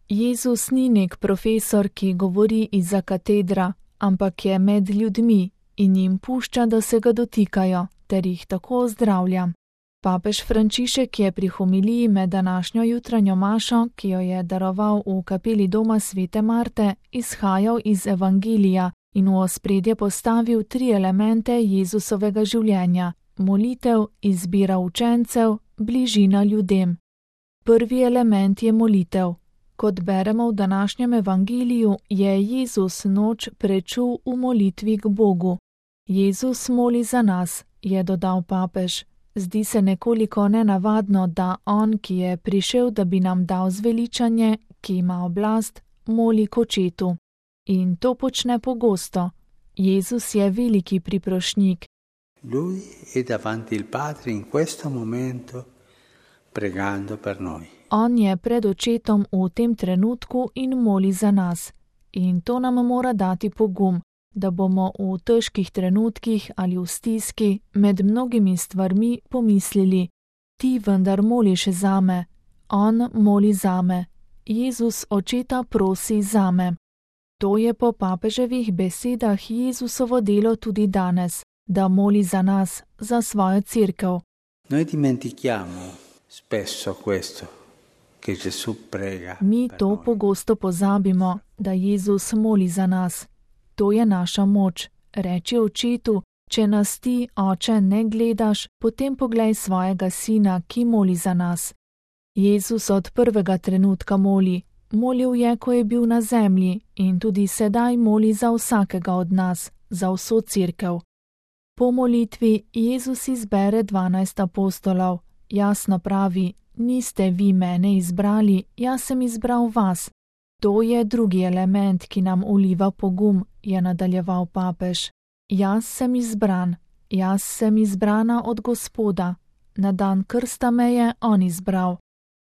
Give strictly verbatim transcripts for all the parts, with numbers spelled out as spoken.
Jezus ni nek profesor, ki govori izza katedra, ampak je med ljudmi in jim pušča, da se ga dotikajo, ter jih tako zdravlja. Papež Frančišek je pri homiliji med današnjo jutranjo mašo, ki jo je daroval v kapeli doma svete Marte, izhajal iz Evangelija in v ospredje postavil tri elemente Jezusovega življenja: molitev, izbira učencev, bližina ljudem. Prvi element je molitev. Kot beremo v današnjem evangeliju, je Jezus noč prečul v molitvi k Bogu. Jezus moli za nas, je dodal papež. Zdi se nekoliko nenavadno, da on, ki je prišel, da bi nam dal zveličanje, ki ima oblast, moli k očetu. In to počne pogosto. Jezus je veliki priprošnjik. Lui è davanti il Padre in questo momento pregando per noi. On je pred očetom v tem trenutku in moli za nas. In to nam mora dati pogum, da bomo v težkih trenutkih ali v stiski med mnogimi stvarmi pomislili: ti vendar moliš zame, on moli zame, Jezus očeta prosi zame. To je po papeževih besedah Jezusovo delo tudi danes, da moli za nas, za svojo cerkev. Noi dimentichiamo spesso questo, che Gesù prega. Mi to pogosto pozabimo, da Jezus moli za nas. To je naša moč. Reči očetu: če nas ti, oče, ne gledaš, potem poglej svojega sina, ki moli za nas. Jezus od prvega trenutka moli. Molil je, ko je bil na zemlji, in tudi sedaj moli za vsakega od nas, za vso cerkev. Po molitvi Jezus izbere dvanajst apostolov. Jasno pravi: niste vi mene izbrali, jaz sem izbral vas. To je drugi element, ki nam vliva pogum, je nadaljeval papež. Jaz sem izbran, jaz sem izbrana od Gospoda. Na dan krsta me je on izbral.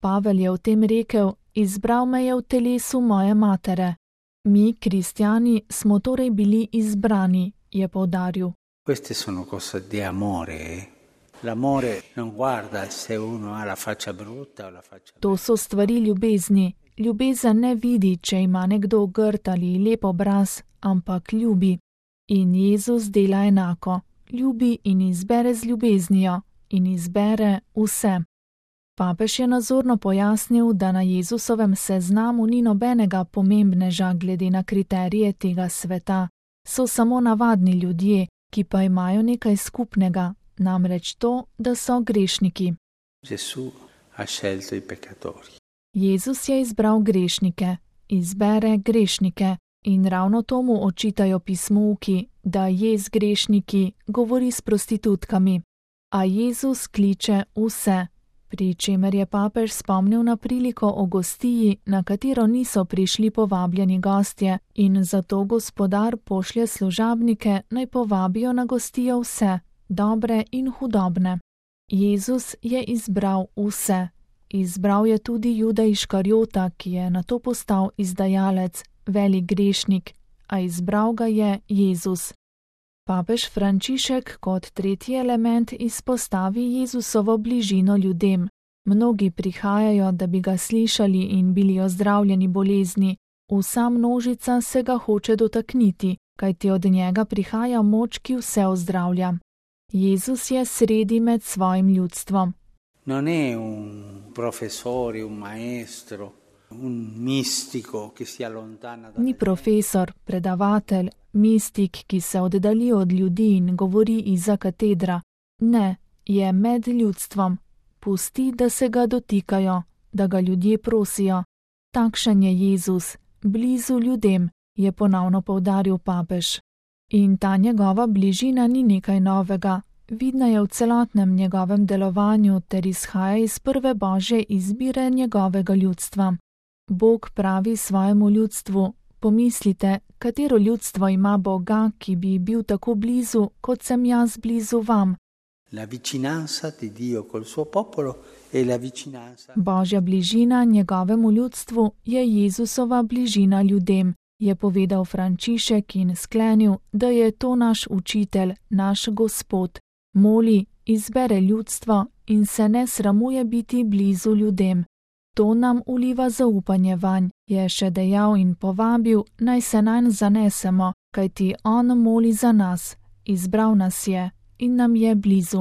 Pavel je v tem rekel: izbral me je v telesu moje matere. Mi, kristjani, smo torej bili izbrani, je poudaril. Queste sono cose di amore, eh? L'amore non guarda se uno ha la faccia brutta o la faccia bella. To so stvari ljubezni. Ljubezen ne vidi, če ima nekdo grd ali lep obraz, ampak ljubi. In Jezus dela enako. Ljubi in izbere z ljubeznijo. In izbere vse. Papež je nazorno pojasnil, da na Jezusovem seznamu ni nobenega pomembneža glede na kriterije tega sveta. So samo navadni ljudje, ki pa imajo nekaj skupnega, namreč to, da so grešniki. Gesù ha scelto i peccatori. Jezus je izbral grešnike, izbere grešnike, in ravno tomu očitajo pismouki, da je z grešniki, govori s prostitutkami. A Jezus kliče vse, pri čemer je papež spomnil na priliko o gostiji, na katero niso prišli povabljeni gostje, in zato Gospodar pošlje služabnike, naj povabijo na gostijo vse, dobre in hudobne. Jezus je izbral vse. Izbral je tudi Juda Iškarjota, ki je nato postal izdajalec, velik grešnik, a izbral ga je Jezus. Papež Frančišek kot tretji element izpostavi Jezusovo bližino ljudem. Mnogi prihajajo, da bi ga slišali in bili ozdravljeni bolezni. Vsa množica se ga hoče dotakniti, kajti od njega prihaja moč, ki vse ozdravlja. Jezus je sredi med svojim ljudstvom. Non è un professore, un maestro, un mistico che si allontana da. Ni profesor, predavatelj, mistik, ki se oddalji od ljudi in govori izza katedra. Ne, je med ljudstvom. Pusti, da se ga dotikajo, da ga ljudje prosijo. Takšen je Jezus, blizu ljudem, je ponovno poudaril papež. In ta njegova bližina ni nekaj novega. Vidna je v celotnem njegovem delovanju ter izhaja iz prve božje izbire njegovega ljudstva. Bog pravi svojemu ljudstvu: pomislite, katero ljudstvo ima Boga, ki bi bil tako blizu, kot sem jaz blizu vam. La vicinanza di Dio col suo popolo e la vicinanza. Božja bližina njegovemu ljudstvu je Jezusova bližina ljudem, je povedal Frančišek in sklenil, da je to naš učitelj, naš Gospod. Moli, izbere ljudstvo in se ne sramuje biti blizu ljudem. To nam uliva zaupanje vanj, je še dejal in povabil, naj se nanj zanesemo, kajti on moli za nas, izbral nas je in nam je blizu.